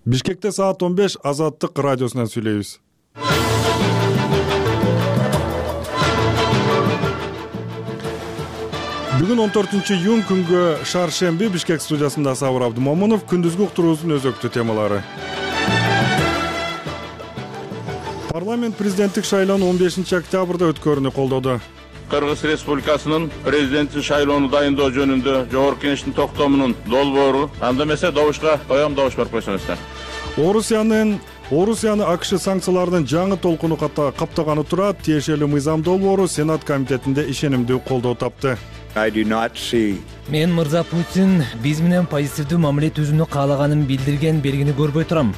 Бишкекте саат 15 Азаттык радиосунан сүйлөйбүз. Бүгүн 14-июнь күнгө шаршемби Бишкек студиясында Сабыр Абдымомунов. Күндүзгү уктуруубуздун өзөктүү темалары. Парламент президенттик шайлоонун 15-октябрда өткөрүүнү колдоду. Кыргыз Республикасынын президенттик шайлоону дайындоо жөнүндө Жогорку Кеңештин токтомунун долбоору, анда эмесе добушка коем, добуш берип койсоңуздар. Орусияны АКШ санкцияларынын жаңы толкуну каптаганы турат. Тиешелүү мыйзам долбоору Сенат комитетинде ишенимдүү колдоо тапты. Мен мырза Путин биз менен позитивдүү мамиле түзүүнү каалаганын билдирген белгини көрбөй турам.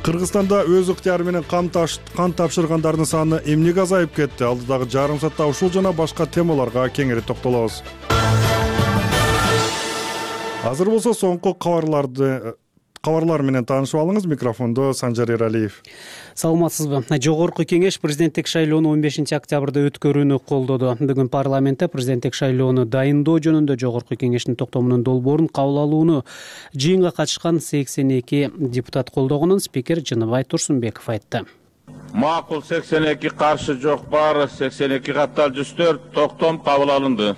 Кыргызстанда өз ыктыяры менен кан тапшыргандардын саны эмнеге азайып кетти? Алдыдагы жарым саатта ушул жана башка темаларга кеңири токтолобуз. Азыр болсо соңку кабарлар менен таанышып алыңыз. Микрофондо Санжар Эралиев. Саламатсызбы? Жогорку Кеңеш президенттик шайлоону 15-октябрда өткөрүүнү колдоду. Бүгүн парламентте президенттик шайлоону дайындоо жөнүндө Жогорку Кеңештин токтомунун долбоорун кабыл алууну жыйынга катышкан 82 депутат колдогонун спикер Жыныбай Турсунбеков айтты. Макул 82, каршы жок баары 82 катталып 104, токтом кабыл алынды.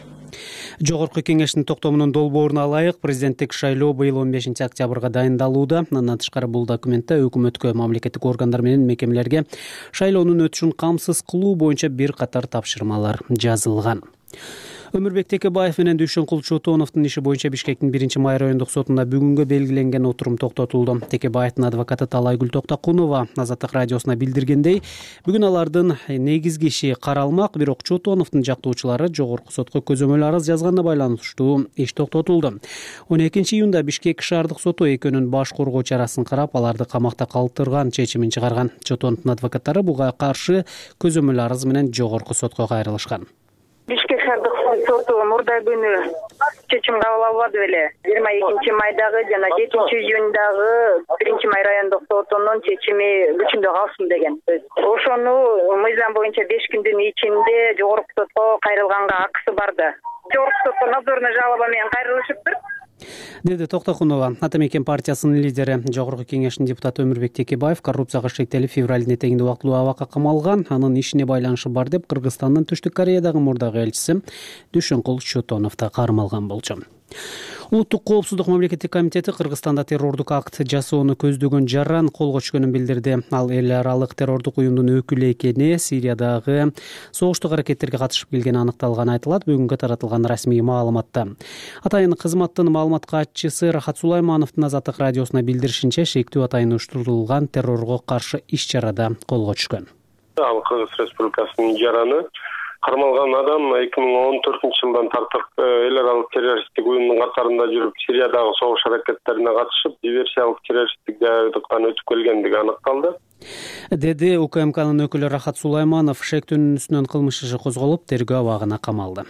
Жогорку Кеңештин токтомунун долбооруна ылайык президенттик шайлоо быйыл 15-октябрга дайындалууда. Андан тышкары бул документте өкмөткө, мамлекеттик органдар менен мекемелерге шайлоонун өтүшүн камсыз кылуу боюнча бир катар тапшырмалар жазылган. Өмүрбек Текебаев менен Дүйшөнкул Чотоновдун иши боюнча Бишкектин 1-май райондук сотунда бүгүнгө белгиленген отурум токтотулду. Текебаевдин адвокаты Талайгүл Токтокунова Азаттык радиосуна билдиргендей, бүгүн алардын негизги иши каралмак, бирок Чотоновдун жактоочулары жогорку сотко көзөмөл арыз жазганына байланыштуу иш токтотулду. 12-июнда Бишкек шаардык соту экөөнүн баш коргоо чарасын карап, аларды камакта калтырган чечимин чыгарган. Чотоновдун адвокаттары буга каршы көзөмөл арыз менен жогорку сотко кайрылышкан. Бишкек шаардык соту мурда күнү чечим кабыл албады беле. 22-майдагы жана 7-июндагы 1-май райондук сотунун чечими күчүндө калсын деген. Ошону мыйзам боюнча 5 күндүн ичинде жогорку сотко кайрылганга акысы барды. Жогорку сотко надзорный жалоба менен кайрылышыптыр, деди Токтокунова. Ата Мекен партиясынын лидери Жогорку Кеңештин депутаты Өмүрбек Текебаев коррупцияга шектелип февралдын этегинде убактылуу абакка камалган. Анын ишине байланышы бар деп Кыргызстандын Түштүк Кореядагы мурдагы элчиси Дүйшөнкул Чотонов да кармалган болчу. Улуттук коопсуздук мамлекеттик комитети Кыргызстанда террордук акт жасоону көздөгөн жаран колго түшкөнүн билдирди. Ал эл аралык террордук уюмдун өкүлү экени, Сириядагы согуштук аракеттерге катышып келгени аныкталганы айтылат бүгүнгө таратылган расмий маалыматта. Атайын кызматтын маалымат катчысы Рахат Сулаймановдун Азаттык радиосуна билдиришинче, шектүү атайын уюштурулган террорго каршы иш-чарада колго түшкөн. Ал Кыргыз Республикасынын жараны кармалган адам 2014-жылдан тартып эл аралык террористтик уюмдун катарында жүрүп, Сириядагы согуш аракеттерине катышып, диверсиялык террористтик даярдыктан өтүп келгендиги аныкталды, деди УКМКнын өкүлү Рахат Сулайманов. Шектүүнүн үстүнөн кылмыш иши козголуп, тергөө абагына камалды.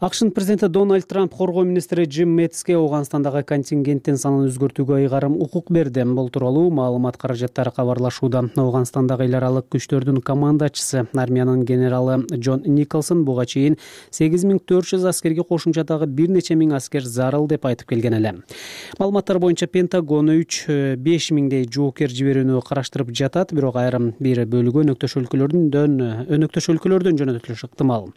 АКШнын президенти Дональд Трамп коргоо министри Джим Мэттиске Ооганстандагы контингенттин санын өзгөртүүгө ыйгарым укук берди. Бул тууралуу маалымат каражаттары кабарлашууда. Ооганстандагы эл аралык күчтөрдүн командачысы, армиянын генералы Джон Николсон буга чейин 8400 аскерге кошумча дагы бир нече миң аскер зарыл деп айтып келген эле. Маалыматтар боюнча Пентагон 3-5 миңдей жоокер жиберүүнү караштырып жатат, бирок айрым бир бөлүгү өнөктөш өлкөлөрдөн жөнөтүлүшү ыктымал.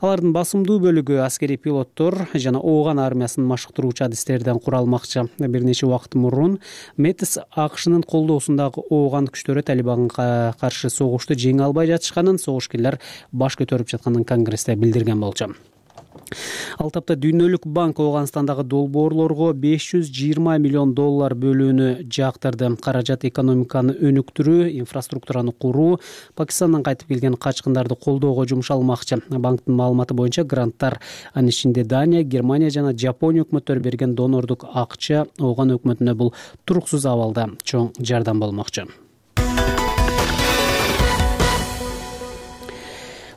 Алардын басымдуу бөлүгү аскери пилоттор жана Ооган армиясын машыктыруучу адистерден куралмакчы. Бир нече убакыт мурун Мэттис АКШнын колдоосундагы Ооган күчтөрү Талибанга каршы согушту жеңе албай жатышканын, согушкерлер баш көтөрүп жатканын Конгрессте билдирген болчу. Ал тапта Дүйнөлүк банк Ооганстандагы долбоорлорго $520 миллион бөлүүнү жактырды. Каражат экономиканы өнүктүрүү, инфраструктураны куруу, Пакистандан кайтып келген качкындарды колдоого жумшалмакчы. Банктын маалыматы боюнча гранттар, анын ичинде Дания, Германия жана Жапония өкмөттөрү берген донордук акча Ооган өкмөтүнө бул туруксуз абалда чоң жардам болмокчу.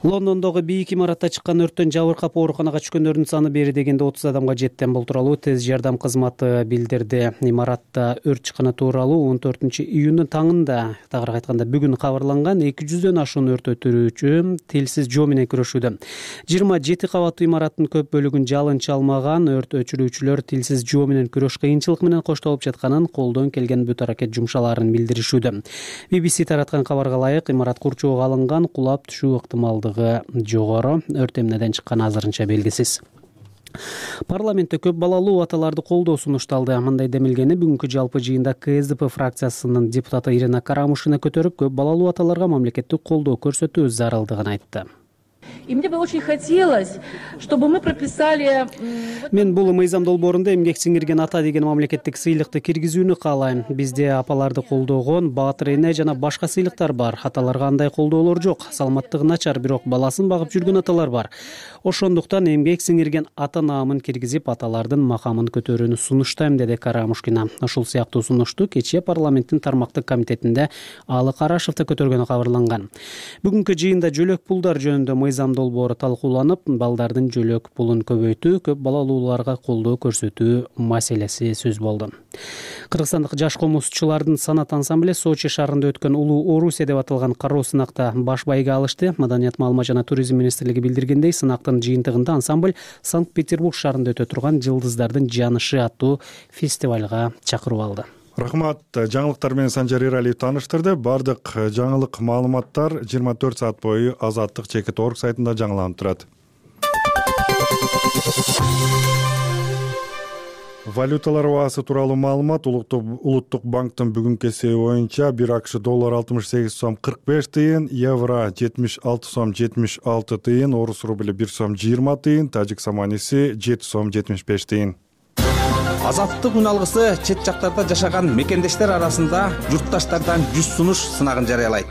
Лондондогу бийик имаратта чыккан өрттөн жабыркап ооруканага түшкөндөрдүн саны бери дегенде 30 адамга жетти. Бул тууралуу тез жардам кызматы билдирди. Имаратта өрт чыкканы тууралуу 14-июндун таңында, тагыраак айтканда бүгүн кабарланган. 200дөн ашуун өрт өчүрүүчү тилсиз жоо менен күрөшүүдө. 27 кабаттуу имараттын көп бөлүгүн жалын чалмаган. Өрт өчүрүүчүлөр тилсиз жоо менен күрөш кыйынчылык менен коштолуп жатканын, колдон келген бүт аракет жумшаларын билдиришүүдө. BBC тараткан кабарга ылайык, имарат курчоого алынган, кулап түшүү ыктымалдыгы жогору. Өрт эмнеден чыкканы азырынча белгисиз. Парламентте көп балалуу аталарды колдоо сунушталды. Мындай демилгени бүгүнкү жалпы жыйында КСДП фракциясынын депутаты Ирина Карамушина көтөрүп, көп балалуу аталарга мамлекеттик колдоо көрсөтүү зарылдыгын айтты. И мне бы очень хотелось, чтобы мы прописали... Мен бул мыйзам долбоорунда эмгек сиңирген ата деген мамлекеттик сыйлыкты киргизүүнү каалайм. Бизде апаларды колдогон, баатыр эне жана башка сыйлыктар бар. Аталарга андай колдоолор жок. Саламаттыгы начар, бирок баласын багып жүргөн аталар бар. Ошондуктан эмгек сиңирген ата наамын киргизип, аталардын макамын көтөрүүнү сунуштайм, деди Карамушкина. Ушул сыяктуу сунушту кечээ парламенттин тармактык комитетинде Алы Карашев да көтөргөнү кабарланган. Бүгүнкү жыйында жөлөк пулдар жөнүндө мыйзам долбоору талкууланып, балдардын жөлөк пулун көбөйтүү, көп балалууларга колдоо көрсөтүү маселеси сөз болду. Кыргызстандык жаш комузчулардын санат ансамбле Сочи шаарында өткөн Улуу Орусия деп аталган кароо сынакта баш байга алышты. Маданият, маалымат жана туризм министрлиги билдиргендей, сынактын жыйынтыгында ансамбль Санкт-Петербург шаарында өтө турган Жылдыздардын жаанышы аттуу фестивалга чакырып алды. Рахмат. Жаңылыктар менен Санжар Эралиев тааныштырды. Бардык жаңылык маалыматтар 24 саат бою Азаттык /org сайтында жаңыланып турат. Валюталар баасы тууралуу маалымат. Улуттук банктын бүгүнкү эсеби боюнча 1 акш доллар 68 сом 45 тыйын, евро 76 сом 76 тыйын, орус рубли 1 сом 20 тыйын, тажик саманиси 7 сом 75 тыйын. Азаттык үн алгысы чет жактарда жашаган мекендештер арасында журтташтардан 100 сунуш сынагын жарыялайт.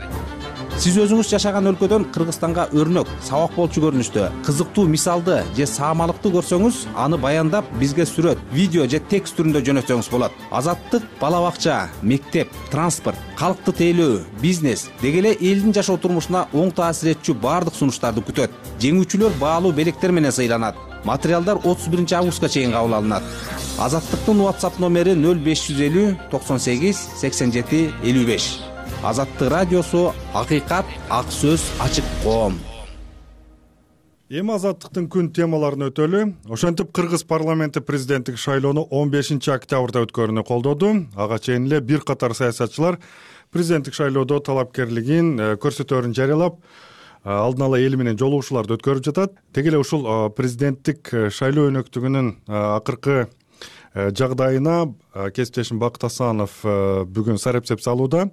Сиз өзүңүз жашаган өлкөдөн Кыргызстанга өрнөк, сабак болчу көрүнүштө, кызыктуу мисалды же саамалыкты көрсөңүз, аны баяндап бизге сүрөт, видео же текст түрүндө жөнөтсөңүз болот. Азаттык бала бакча, мектеп, транспорт, калкты тейлөө, бизнес деги эле элдин жашоо турмушуна оң таасир этчү баардык сунуштарды күтөт. Жеңүүчүлөр баалуу белектер менен сыйланат. Материалдар 31 августка чейин кабыл алынат. Азаттыктын WhatsApp номери 0550 98 87 55. Азаттык радиосу, акыйкат, ак сөз, ачык коом. Эми Азаттыктын күн темаларын өтөлү. Ошентип Кыргыз парламенти президенттик шайлоону 15 октябрда өткөрүүнү колдоду. Ага чейин эле бир катар саясатчылар президенттик шайлоодо талапкерлигин көрсөтөөрүн жарыялап, алдын ала эл менен жолугушууларды өткөрүп жатат. Теги эле ушул президенттик шайлоо өнөктүгүнүн акыркы жагдайына кесиптешим Бакыт Асанов бүгүн сарепсеп салууда.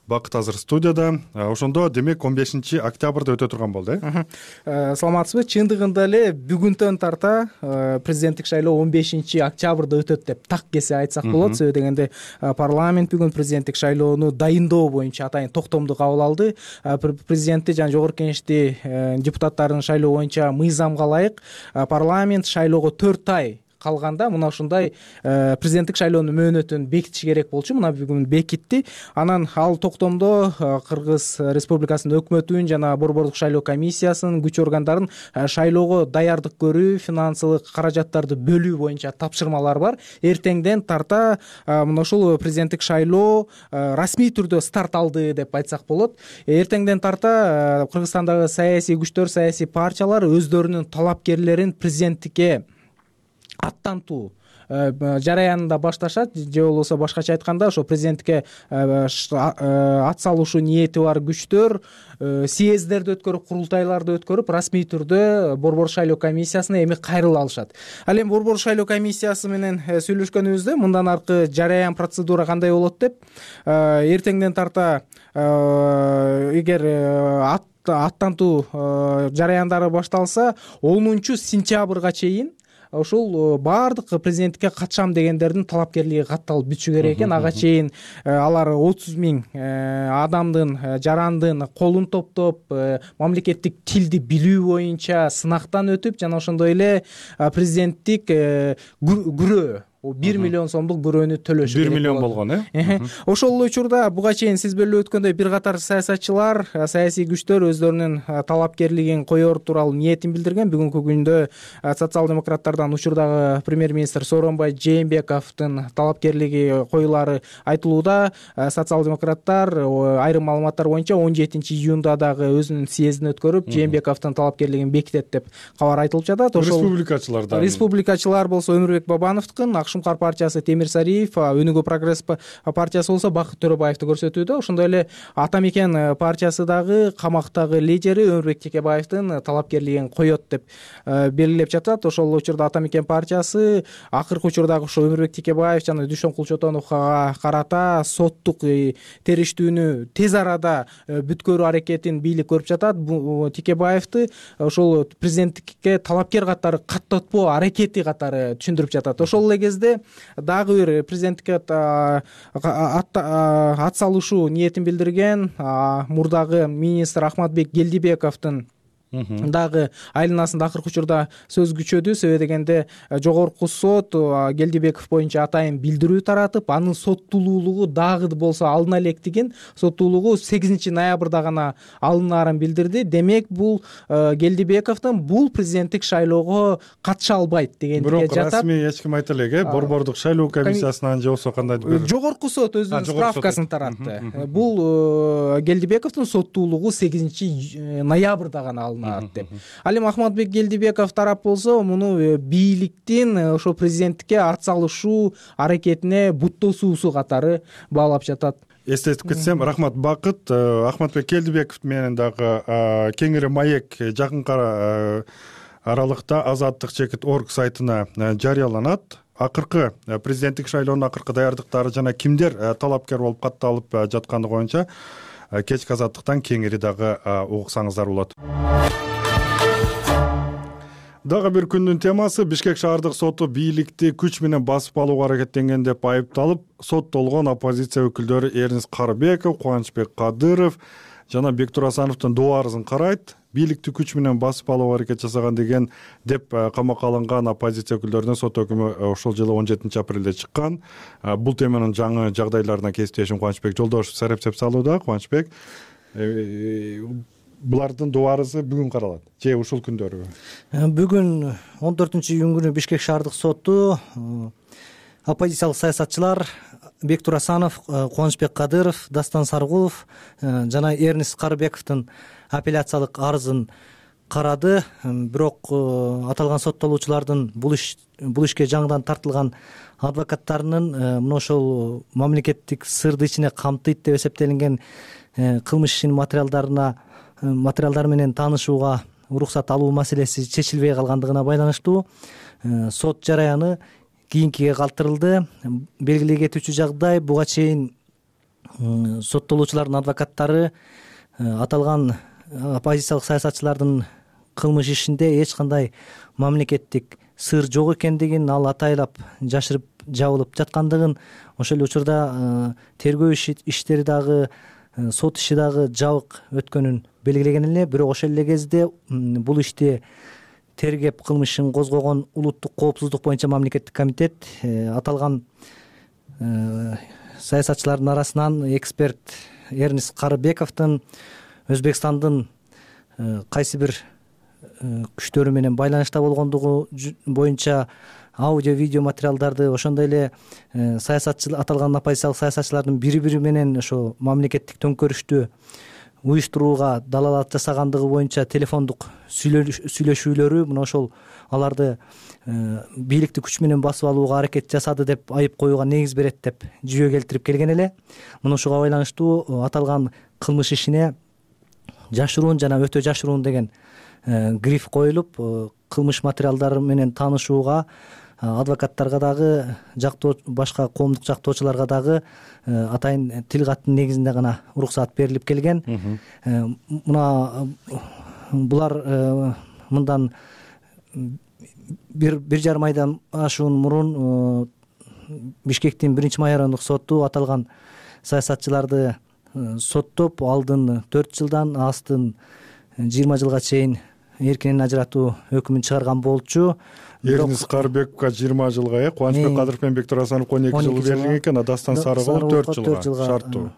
Бакыт азыр студияда. Ошондо демек 15 октябрда өтө турган болду, Саламатсызбы? Чындыгында эле бүгүнтөн тарта президенттик шайлоо 15 октябрда өтөт деп так кесе айтсак болот. Себеби дегенде парламент бүгүн президенттик шайлоону дайындоо боюнча атайын токтомду кабыл алды. Президентти жана жогорку кеңешти депутаттарын шайлоо боюнча мыйзамга ылайык парламент шайлоого 4 ай калганда мына ушундай президенттик шайлоонун мөөнөтүн бекитиш керек болчу. Мына бүгүн бекитти. Анан ал токтомдо Кыргыз Республикасынын өкмөтүн жана борбордук шайлоо комиссиясынын күч органдарын шайлоого даярдык көрүү, финансылык каражаттарды бөлүү боюнча тапшырмалар бар. Эртеңден тарта мына ушул президенттик шайлоо расмий түрдө старт алды деп айтсак болот. Эртеңден тарта Кыргызстандагы саясий күчтөр, саясий партиялар өздөрүнүн талапкерлерин президенттикке аттантуу жараянында башташат, же болбосо башкача айтканда ошо президенттикке ат салуушуу ниети бар күчтөр съездерди өткөрүп, курултайларды өткөрүп, расмий түрдө борбор шайлоо комиссиясына эми кайрыла алышат. Ал эми борбор шайлоо комиссиясы менен сүйлөшкөнүбүздө мындан аркы жараян процедура кандай болот деп, эртеңден тарта эгер аттантуу жараяндары башталса 10 сентябрга чейин ушул баардык президенттикке катышам дегендердин талапкерлиги катталып бүтүшү керек экен. Ага чейин алар 30 000 адамдын, жарандын колун топтоп, мамлекеттик тилди билүү боюнча сынактан өтүп, жана ошондой эле президенттик күрөө 1 миллион сомдук бирөөнү төлөшү керек. 1 миллион болгон, Ошол эле учурда буга чейин сиз белип өткөндөй бир катар саясатчылар, саясий күчтөр өздөрүнүн талапкерлигин коёр тууралуу ниетин билдирген. Бүгүнкү күндө социал-демократтардан учурдагы премьер-министр Сооронбай Жээнбековдун талапкерлиги коюлары айтылууда. Социал-демократтар айрым маалыматтар боюнча 17-июнда дагы өзүнүн съездин өткөрүп, Жээнбековдун талапкерлигин бекитет деп кабар айтылып жатат. Ошол республикачылар болсо Өмүрбек Бабановдукун, Шумкар партиясы Темир Сариев, Өнүгүү прогресс партиясы болсо Бакыт Төрөбаевди көрсөтүүдө. Ошондой эле Ата Мекен партиясы дагы камактагы лидери Өмүрбек Текебаевдин талапкерлигин коет деп белгилеп жатат. Ошол учурда Ата Мекен партиясы акыркы учурдагы ошо Өмүрбек Текебаев жана Дүйшөн Кулчотоновго карата соттук териштүүнү тез арада бүткөрүү аракетин бийлик көрүп жатат. Текебаевди ошол президенттикке талапкер катары каттатпоо аракети катары түшүндүрүп жатат. Ошол эле кезде дагы бир президенттикке ат салышуу ниетин билдирген мурдагы министр Ахматбек Келдибековдун дагы айланасында акыркы учурда сөз күчөдү. Себеби дегенде жогорку сот Келдибеков боюнча атайын билдирүү таратып, анын соттуулуулугу дагы болсо алына электигин, соттуулугу 8 ноябрда гана алынаарын билдирди. Демек бул Келдибековдун бул президенттик шайлоого катыша албайт дегендикке жатат. Бирок расмий эч ким айта элек, борбордук шайлоо комиссиясынан же болбосо кандайдыр бир жогорку сот өзүнүн справкасын таратты. Бул Келдибековдун соттуулугу 8 ноябрда гана алынат деп. Ал эми Ахматбек Келдибеков тарап болсо муну бийликтин ошо президенттикке ат салышуу аракетине буттосуусу катары баалап жатат. Эстетип кетсем, рахмат Бакыт. Ахматбек Келдибеков менен дагы кеңири маек жакынкы аралыкта Азаттык чекит орг сайтына жарыяланат. Акыркы президенттик шайлоонун акыркы даярдыктары жана кимдер талапкер болуп катталып жатканы боюнча кечки Азаттыктан кеңири дагы угуксаңыздар болот. Дагы бир күндүн темасы: Бишкек шаардык соту бийликти күч менен басып алууга аракеттенген деп айыпталып, соттолгон оппозиция өкүлдөрү Эрнис Карыбеков, Кубанычбек Кадыров жана Бектур Асановдун доо арызын карайт. Бийликти күч менен басып алууга аракет жасаган деген деп камакка алынган оппозиция өкүлдөрүнө сот өкүмү ошол жылы 17 апрелде чыккан. Бул теманын жаңы жагдайларына кесиптешим Кубанычбек Жолдошев сарапчылап салууда. Кубанычбек, булардын доо арызы бүгүн каралат же ушул күндөрү? Бүгүн 14-июнь күнү Бишкек шаардык соту оппозициялык саясатчылар Бектур Асанов, Кубанычбек Кадыров, Дастан Саргулов жана Эрнис Карыбековдун апелляциялык арызын карады. Бирок аталган соттолуучулардын бул ишке жаңыдан тартылган адвокаттарынын мына ошол мамлекеттик сырды ичине камтыйт деп эсептелинген кылмыш ишинин материалдары менен таанышууга уруксат алуу маселеси чечилбей калгандыгына байланыштуу сот жараяны кийинкиге калтырылды. Белгилей кетүүчү жагдай, буга чейин соттолуучулардын адвокаттары аталган оппозициялык саясатчылардын кылмыш ишинде эч кандай мамлекеттик сыр жок экендигин, ал атайлап жашырып жабылып жаткандыгын, ошол эле учурда тергөө иштери дагы, сот иши дагы жабык өткөнүн белгилеген эле. Бирок ошол эле кезде бул ишти тергеп кылмыш ишин козгогон улуттук коопсуздук боюнча мамлекеттик комитет аталган саясатчылардын арасынан эксперт Эрнис Карыбековдун Өзбекстандын кайсы бир күчтөрү менен байланышта болгондугу боюнча аудио видео материалдарды, ошондой эле аталган оппозициялык саясатчылардын бири менен ошо мамлекеттик төңкөрүштү уюштурууга далалат жасагандыгы боюнча телефондук сүйлөшүүлөрү, мына ошол аларды бийликти күч менен басып алууга аракет жасады деп айып коюуга негиз берет деп жүйө келтирип келген эле. Мына ошого байланыштуу аталган кылмыш ишине жашыруун жана өтө жашыруун деген гриф коюлуп, кылмыш материалдары менен таанышууга адвокаттарга дагы, башка коомдук жактоочуларга дагы атайын тил каттын негизинде гана уруксат берилип келген. Мына булар мындан бир жарым айдан ашуун мурун Бишкектин 1-май райондук соту аталган саясатчыларды соттоп, алдын 4 жылдан, астын 20 жылга чейин эркинен ажыратуу өкүмүн чыгарган болчу. Эрнис Карбековго 20 жылга, Кубанычбек Кадыров, Бектур Асановго 2 жыл берилген экен, а Дастан Сарыгулов 4 жылга шарттуу.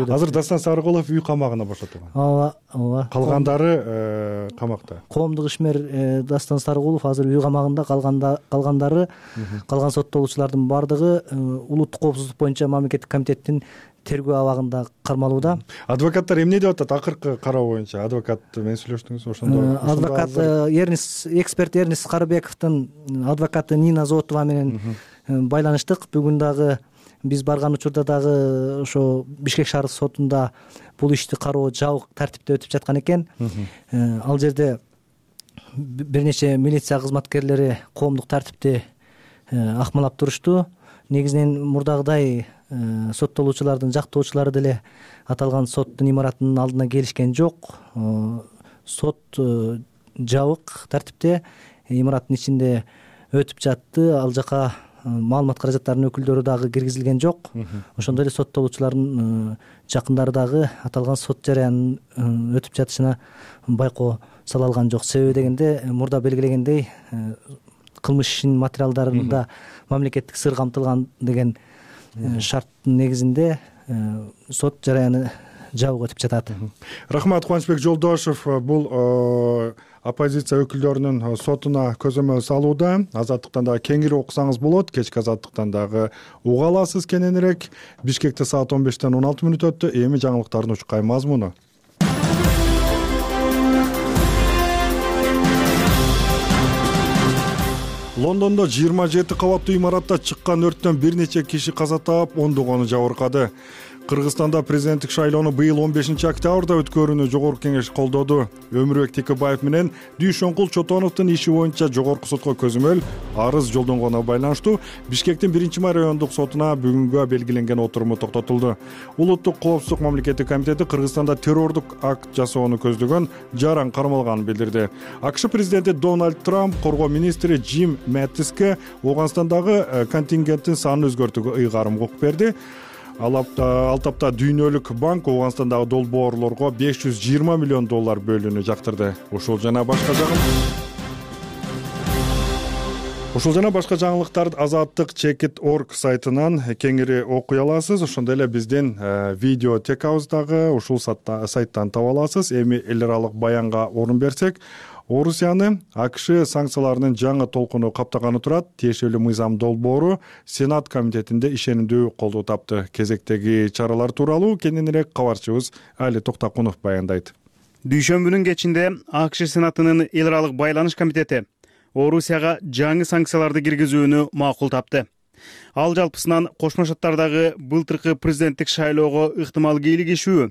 Азыр Дастан Сарыгулов үй камагына бошотулган. Ооба. Калгандары камакта. Коомдук ишмер Дастан Сарыгулов азыр үй камагында, калгандары, калган соттолуучулардын бардыгы улуттук коопсуздук боюнча мамлекеттик комитеттин тергөө абагында кармалууда. Адвокаттар эмне деп атат? Акыркы кароо боюнча адвокат менен сүйлөштүңүз ошондо? Адвокат эксперт Эрнис Карбековдун адвокаты Нина Зотова менен байланыштык. Бүгүн дагы биз барган учурда дагы ошо Бишкек шаардык сотунда бул ишти кароо жабык тартипте өтүп жаткан экен. Ал жерде бир нече милиция кызматкерлери коомдук тартипти акмалап турушту. Негизинен мурдагыдай соттолуучулардын жактоочулары деле аталган соттун имаратынын алдына келишкен жок. Сот жабык тартипте имараттын ичинде өтүп жатты. Ал жака маалымат каражаттарынын өкүлдөрү дагы киргизилген жок. Ошондой эле соттолуучулардын жакындары дагы аталган сот жараянын өтүп жатышына байкоо сала алган жок. Себеби дегенде мурда белгилегендей кылмыш ишинин материалдарында мамлекеттик сыр камтылган деген шарттын негизинде сот жараяны жабык өтүп жатат. Рахмат, Кубанычбек Жолдошев бул оппозиция өкүлдөрүнүн сотуна көзөмөл салууда. Азаттыктан дагы кеңири окусаңыз болот. Кечки Азаттыктан дагы уга аласыз кененирээк. Бишкекте саат 15-тен 16 мүнөт өттү. Эми жаңылыктардын учкай мазмуну. Лондондо 27 кабаттуу имаратта чыккан өрттөн бир нече киши каза таап, ондогону жабыркады. Кыргызстанда президенттик шайлоону быйыл 15-октябрда өткөрүүнү жогорку кеңеш колдоду. Өмүрбек Текебаев менен Дүйшөнкул Чотоновдун иши боюнча жогорку сотко көзөмөл арыз жолдонгонуна байланыштуу Бишкектин 1-май райондук сотуна бүгүнгө белгиленген отуруму токтотулду. Улуттук коопсуздук мамлекеттик комитети Кыргызстанда террордук акт жасоону көздөгөн жаран кармалганын билдирди. АКШ президенти Дональд Трамп коргоо министри Джим Мэттиске Ооганстандагы контингенттин санын өзгөртүүгө ыйгарым укук берди. Ал тапта Дүйнөлүк банк Ооганстандагы долбоорлорго $520 миллион бөлүүнү жактырды. Ушул жана башка жаңылыктарды Азаттык Чекит.org сайтынан кеңири окуй аласыз. Ошондой эле биздин видеотекабыздагы ушул сайттан таба аласыз. Эми эл аралык баянга орун берсек, Орусияны АКШ санкцияларынын жаңы толкуну каптаганы турат. Тиешелүү мыйзам долбоору Сенат комитетинде ишенимдүү колдоо тапты. Кезектеги чаралар тууралуу кененирээк кабарчыбыз Али Токтакунов баяндайт. Дүйшөмбүнүн кечинде АКШ Сенатынын эл аралык байланыш комитети Орусияга жаңы санкцияларды киргизүүнү макул тапты. Ал жалпысынан Кошмо Шаттардагы былтыркы президенттик шайлоого ыктымал кийлигишүү,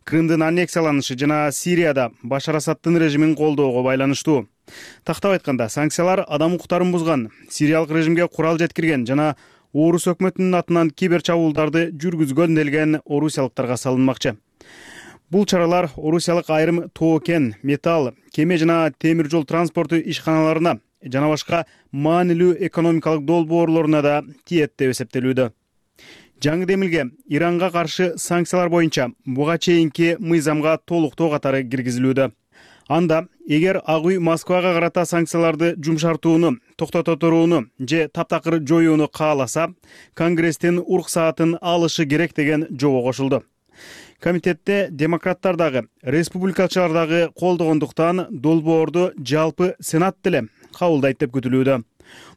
Крымдын аннексияланышы жана Сирияда Башар Асаддын режимин колдоого байланыштуу. Тактап айтканда, санкциялар адам укуктарын бузган, сириялык режимге курал жеткирген жана Орус өкмөтүнүн атынан кибер чабуулдарды жүргүзгөн делген орусиялыктарга салынмакчы. Бул чаралар орусиялык айрым тоо кен, металл, кеме жана темир жол транспорту ишканаларына жана башка маанилүү экономикалык долбоорлоруна да тиет деп эсептелүүдө. Жаңы демилге Иранга каршы санкциялар боюнча буга чейинки мыйзамга толуктоо катары киргизилүүдө. Анда эгер Ак үй Москвага карата санкцияларды жумшартууну, токтото турууну же таптакыр жоюуну кааласа, Конгресстин уруксаатын алышы керек деген жобо кошулду. Комитетте демократтар дагы, республикачылар дагы колдогондуктан долбоорду жалпы Сенат деле кабылдайт деп күтүлүүдө.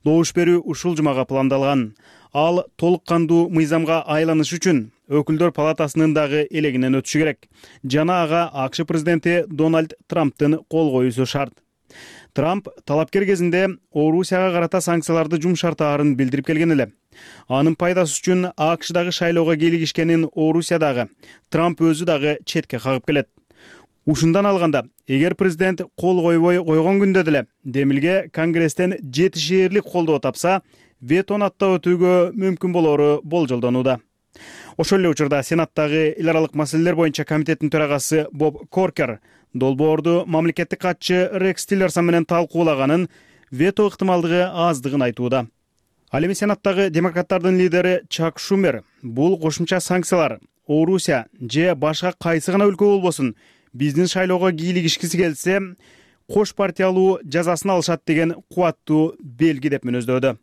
Добуш берүү ушул жумага пландалган. Ал толук кандуу мыйзамга айланыш үчүн өкүлдөр палатасынын дагы элегинен өтүшү керек. Жана ага АКШ президенти Дональд Трамптын кол коюусу шарт. Трамп талапкер кезинде Орусияга карата санкцияларды жумшартаарын билдирип келген эле. Анын пайдасы үчүн АКШдагы шайлоого кийлигишкенин Орусиядагы Трамп өзү дагы четке кагып келет. Ушундан алганда, эгер президент кол койбой койгон күндө деле демилге Конгресстен жетишээрлик колдоо тапса, ветону аттап өтүүгө мүмкүн болору болжолдонууда. Ошол эле учурда Сенаттагы эл аралык маселелер боюнча комитеттин төрагасы Боб Коркер долбоорду мамлекеттик катчы Рекс Тиллерсон менен талкуулаганын, вето ыктымалдыгы аздыгын айтууда. Ал эми Сенаттагы демократтардын лидери Чак Шумер бул кошумча санкциялар Орусия же башка кайсы гана өлкө болбосун биздин шайлоого кийлигишкиси келсе, кош партиялуу жазасын алышат деген кубаттуу белги деп мүнөздөдү.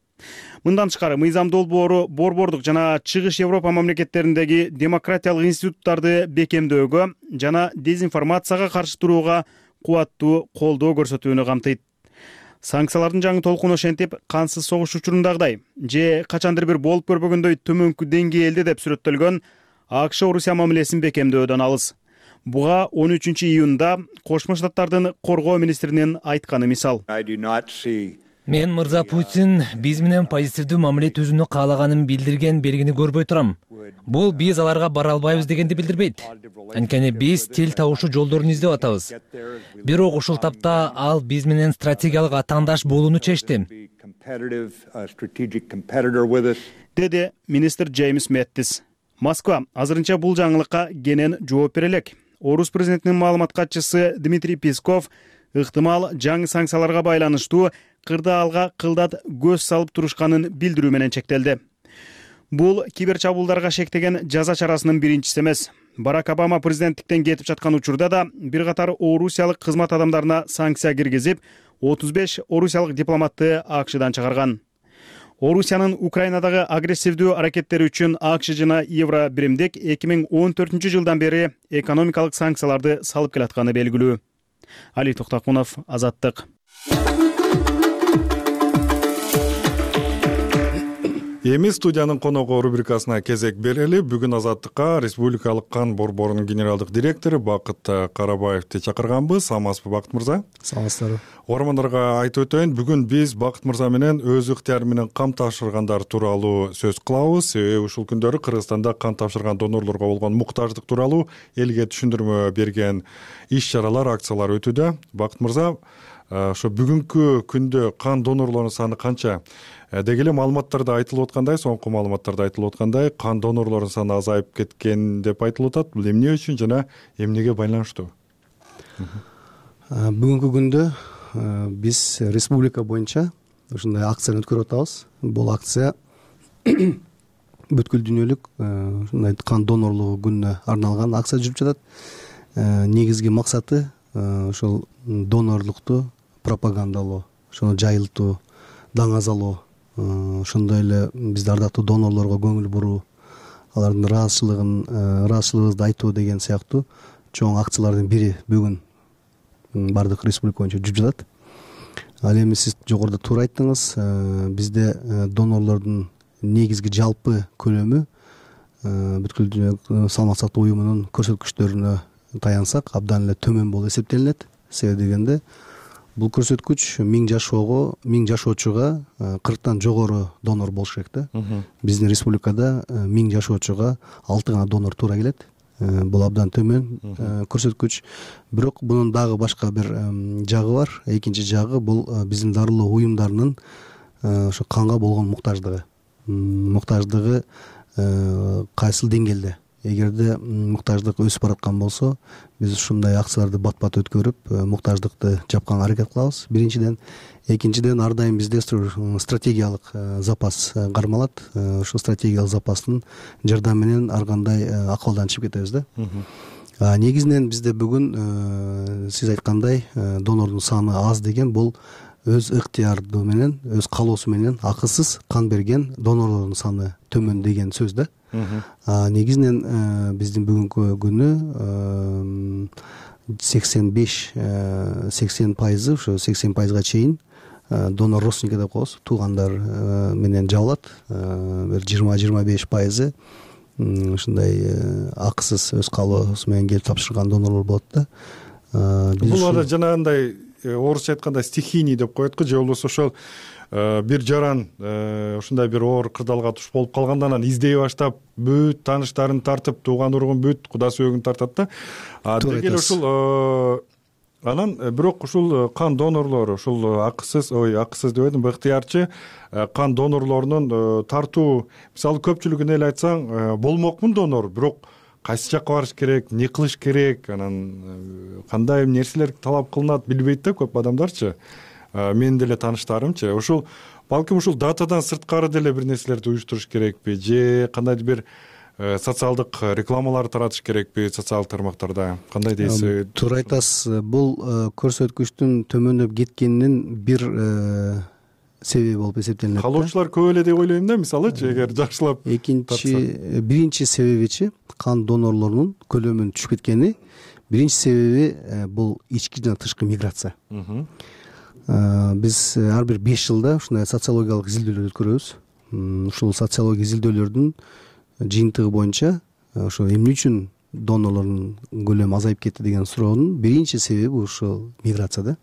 Мындан тышкары мыйзам долбоору борбордук жана Чыгыш Европа мамлекеттериндеги демократиялык институттарды бекемдөөгө жана дезинформацияга каршы турууга кубаттуу колдоо көрсөтүүнү камтыйт. Санкциялардын жаңы толкуну ошентип кансыз согуш учурундагыдай же качандыр бир болуп көрбөгөндөй төмөнкү деңгээлде деп сүрөттөлгөн АКШ Орусия мамилесин бекемдөөдөн алыс. Буга 13-июнда Кошмо Штаттардын коргоо министринин айтканы мисал. Мен мырза Путин биз менен позитивдүү мамиле түзүүнү каалаганын билдирген белгини көрбөй турам. Бул биз аларга бара албайбыз дегенди билдирбейт. Анткени биз тил табышуу жолдорун издеп атабыз. Бирок ушул тапта ал биз менен стратегиялык атаандаш болууну чечти, деди министр Джеймс Мэттис. Москва азырынча бул жаңылыкка кенен жооп бере элек. Орус президентинин маалымат катчысы Дмитрий Песков ыктымал жаңы санкцияларга байланыштуу кырдаалга кылдат көз салып турушканын билдирүү менен чектелди. Бул кибер чабуулдарга шектеген жаза чарасынын биринчиси эмес. Барак Обама президенттиктен кетип жаткан учурда да бир катар орусиялык кызмат адамдарына санкция киргизип, 35 орусиялык дипломатты АКШдан чыгарган. Орусиянын Украинадагы агрессивдүү аракеттери үчүн АКШ жана Евробиримдик 2014-жылдан бери экономикалык санкцияларды салып келатканы белгилүү. Али Токтакунов, Азаттык. Эми студиянын коногу рубрикасына кезек берели. Бүгүн Азаттыкка Республикалык кан борборунун генералдык директору Бакыт Карабаевди чакырганбыз. Саламатсызбы, Бакыт мырза? Саламатсыздарбы. Угармандарга айтып өтөйүн, бүгүн биз Бакыт мырза менен өз ыктыяры менен кан тапшыргандар тууралуу сөз кылабыз. Ушул күндөрү Кыргызстанда кан тапшырган донорлорго болгон муктаждык тууралуу элге түшүндүрмө берген иш-чаралар, акциялар өтүүдө. Бакыт мырза, ошо бүгүнкү күндө кан донорлорунун саны канча? Деги эле маалыматтарда айтылып аткандай, соңку маалыматтарда айтылып аткандай, кан донорлорунун саны азайып кеткен деп айтылып атат. Бул эмне үчүн жана эмнеге байланыштуу? Бүгүнкү күндө биз республика боюнча ушундай акцияны өткөрүп атабыз. Бул акция бүткүл дүйнөлүк ушундай кан донорлугу күнүнө арналган акция жүрүп жатат. Негизги максаты ошол донорлукту пропагандалоо, ошону жайылтуу, даңазалоо, ошондой эле бизде ардактуу донорлорго көңүл буруу, алардын ыраазычылыгыбызды айтуу деген сыяктуу чоң акциялардын бири бүгүн бардык республика боюнча жүрүп жатат. Ал эми сиз жогоруда туура айттыңыз, бизде донорлордун негизги жалпы көлөмү бүткүл дүйнөлүк саламаттык сактоо уюмунун көрсөткүчтөрүнө таянсак абдан эле төмөн болуп эсептелинет. Себеби дегенде бул көрсөткүч 1000 жашоочуга 40тан жогору донор болуш керек да. Биздин республикада 1000 жашоочуга 6 гана донор туура келет. Бул абдан төмөн көрсөткүч. Бирок бунун дагы башка бир жагы бар. Экинчи жагы бул биздин дарылоо уюмдарынын ошо канга болгон муктаждыгы. Муктаждыгы кайсыл деңгээлде? Эгерде муктаждык өсүп бараткан болсо, биз ушундай акцияларды бат-бат өткөрүп, муктаждыкты жапканга аракет кылабыз. Биринчиден, экинчиден ар дайым бизде стратегиялык запас кармалат. Ошол стратегиялык запастын жардамы менен ар кандай акыбалдан чыгып кетебиз да. Негизинен бизде бүгүн сиз айткандай донордун саны аз деген бул өз ыктыяры менен, өз каалоосу менен акысыз кан берген донорлордун саны төмөн деген сөз да. Негизинен биздин бүгүнкү күнү 80%, ошо 80%га чейин донор родственники деп коебуз, туугандар менен жабылат. Бир 20-25% ушундай акысыз өз каалоосу менен келип тапшырган донорлор болот да. Бул жанагындай орусча айтканда стихийный деп коет го, же болбосо ошол бир жаран ушундай бир оор кырдаалга туш болуп калганда анан издей баштап бүт тааныштарын тартып, тууган уругун бүт куда сөөгүн тартат да. Деги эле ушул анан бирок ушул кан донорлору ушул акысыз деп едим, ыктыярчы кан донорлорунун тартуу, мисалы көпчүлүгүн эле айтсаң, болмокмун донор, бирок кайсы жакка барыш керек, эмне кылыш керек, анан кандай нерселер талап кылынат билбейт да көп адамдарчы. Менин деле тааныштарымчы. Ушул балким ушул датадан сырткары деле бир нерселерди уюштуруш керекпи, же кандайдыр бир социалдык рекламалар таратыш керекпи социалдык тармактарда, кандай дейсиз? Туура айтасыз. Бул көрсөткүчтүн төмөндөп кеткенинин бир себеби болуп эсептелинет. Калоочулар көп эле деп ойлойм да, мисалычы, эгер жакшылап. Биринчи себебичи кан донорлорунун көлөмүнүн түшүп кеткени. Биринчи себеби бул ички жана тышкы миграция. Биз ар бир 5 жылда ушундай социологиялык изилдөөлөр өткөрөбүз. Ушул социология изилдөөлөрдүн жыйынтыгы боюнча ошо эмне үчүн донорлордун көлөмү азайып кетти деген суроонун биринчи себеби ушул миграция да.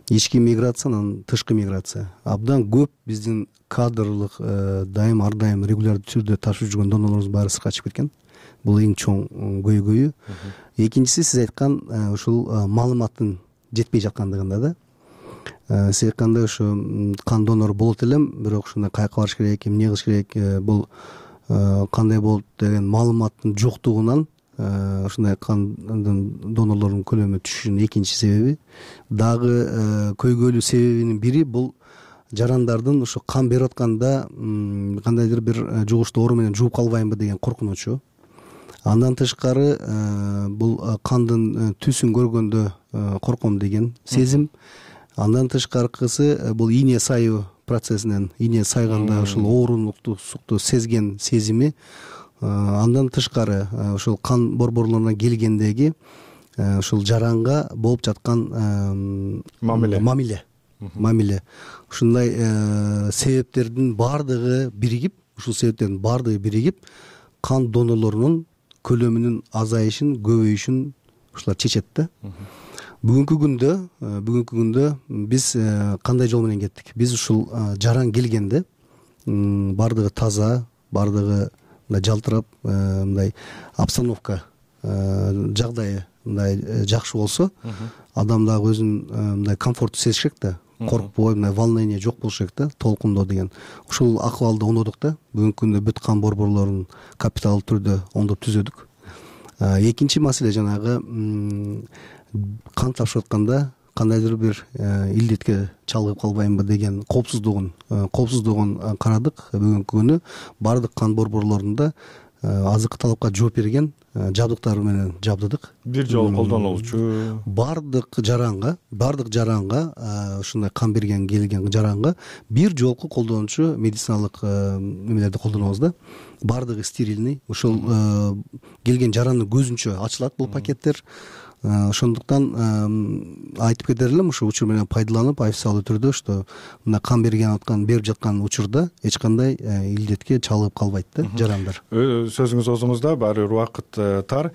Ички миграция, анан тышкы миграция. Абдан көп биздин кадрлык дайым ар дайым регулярдуу түрдө ташып жүргөн донорлорубуз баары сыртка чыгып кеткен. Бул эң чоң көйгөйү. Экинчиси, сиз айткан ушул маалыматтын жетпей жаткандыгында да. Сиз айткандай ошо кан донору болот элем, бирок ушундай каяка барыш керек, эмне кылыш керек, бул кандай болот деген маалыматтын жоктугунан ушундай кандын донорлордун көлөмү түшүшүнүн экинчи себеби. Дагы көйгөйлүү себебинин бири бул жарандардын ошо кан берип атканда кандайдыр бир жугуштуу оору менен жууп калбаймбы деген коркунучу. Андан тышкары бул кандын түсүн көргөндө корком деген сезим. Андан тышкаркысы бул ийне сайуу процессинен, ийне сайганда ушул оорунукту сезген сезими. Андан тышкары ушул кан борборлоруна келгендеги ушул жаранга болуп жаткан мамиле. Ушундай себептердин баардыгы биригип, кан донорлорунун көлөмүнүн азайышын, көбөйүшүн ушулар чечет да. Бүгүнкү күндө биз кандай жол менен кеттик? Биз ушул жаран келгенде баардыгы таза, баардыгы мындай жалтырап, мындай обстановка, жагдайы мындай жакшы болсо, адам дагы өзүн мындай комфорттуу сезиш керек да. Коркпой, мындай волнение жок болуш керек да, толкундоо деген. Ушул акыбалды оңдодук да. Бүгүнкү күндө бүт кан борборлорун капиталдуу түрдө оңдоп түзөдүк. Экинчи маселе жанагы кан тапшырып атканда кандайдыр бир илдетке чалгып калбаймбы деген коопсуздугун карадык. Бүгүнкү күнү баардык кан борборлорунда азыркы талапка жооп берген жабдыктар менен жабдыдык. Бир жолу колдонулчу. Баардык жаранга ушундай кан берген келген жаранга бир жолку колдонуучу медициналык немелерди колдонобуз да. Баардыгы стерильный. Ушул келген жарандын көзүнчө ачылат бул пакеттер. Ошондуктан айтып кетер элем, ушул учур менен пайдаланып, официалдуу түрдө что мына кан берип жаткан учурда эч кандай илдетке чалгып калбайт да жарандар. Сөзүңүз оозуңузда, баары бир убакыт тар.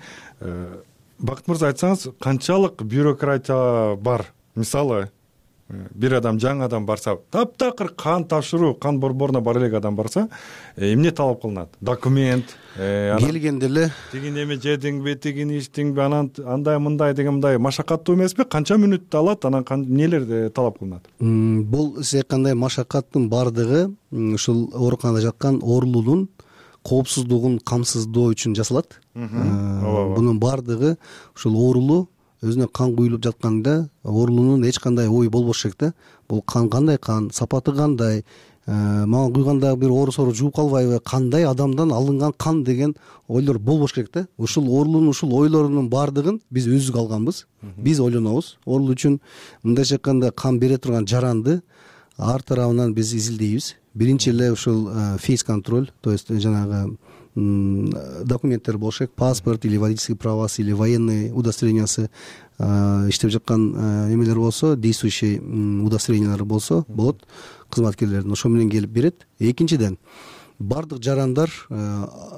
Бакыт мырза, айтсаңыз, канчалык бюрократия бар? Мисалы, бир адам, жаңы адам барса, таптакыр кан тапшыруу, кан борборуна бара элек адам барса, эмне талап кылынат? Документ, келгенде эле тигин эме жедиңби, тигин ичтиңби, анан андай мындай деген мындай машакаттуу эмеспи? Канча мүнөттү алат, анан эмнелер талап кылынат? Бул сиз айткандай машакаттын баардыгы ушул ооруканада жаткан оорулуунун коопсуздугун камсыздоо үчүн жасалат. Бунун баардыгы ушул оорулуу өзүнө кан куюлуп жатканда оорулуунун эч кандай ою болбош керек да. Бул кан кандай кан, сапаты кандай, мага куйганда бир оору сору жууп калбайбы, кандай адамдан алынган кан деген ойлор болбош керек да. Ушул оорулуунун ушул ойлорунун баардыгын биз өзүбүз алганбыз. Биз ойлонобуз. Оорулуу үчүн мындайча айтканда кан бере турган жаранды ар тарабынан биз изилдейбиз. Биринчи эле ушул фейс контроль, то есть жанагы документтер болуш керек, паспорт или водительский правасы или военный удостоверениясы иштеп жаткан эмелер болсо, действующий удостоверениялар болсо болот, кызматкерлердин ошо менен келип берет. Экинчиден, баардык жарандар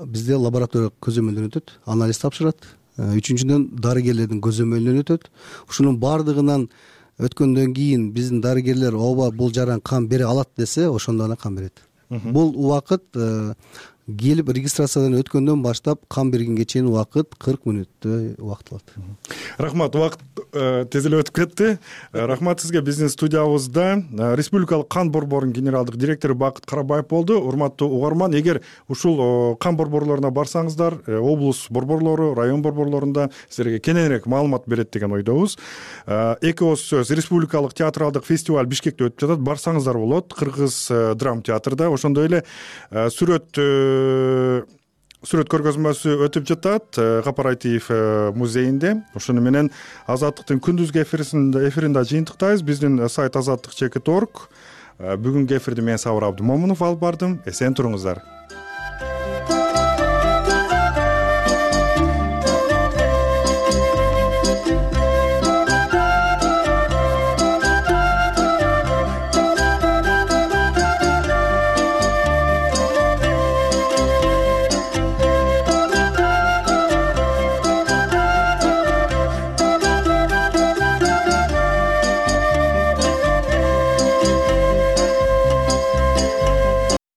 бизде лабораториялык көзөмөлдөн өтөт, анализ тапшырат. Үчүнчүдөн, дарыгерлердин көзөмөлүнөн өтөт. Ушунун баардыгынан өткөндөн кийин биздин дарыгерлер ооба бул жаран кан бере алат десе, ошондо гана кан берет. Бул убакыт келип регистрациядан өткөндөн баштап кан бергенге чейин убакыт 40 мүнөттөй убакыт алат. Рахмат, убакыт тез эле өтүп кетти. Рахмат сизге. Биздин студиябызда Республикалык кан борборунун генералдык директору Бакыт Карабаев болду. Урматтуу угарман, эгер ушул кан борборлоруна барсаңыздар, облус борборлору, район борборлорунда силерге кененирээк маалымат берет деген ойдобуз. Эки ооз сөз, Республикалык театралдык фестиваль Бишкекте өтүп жатат. Барсаңыздар болот, Кыргыз драм театрда. Ошондой эле сүрөт сүрөт көргөзмөсү өтүп жатат Кооператив музейинде. Ошону менен Азаттыктын күндүзгү эфиринде жыйынтыктайбыз. Биздин сайт azаттык.org. Бүгүнкү эфирди мен Сабыр Абдымомунов алып бардым. Эсен туруңуздар.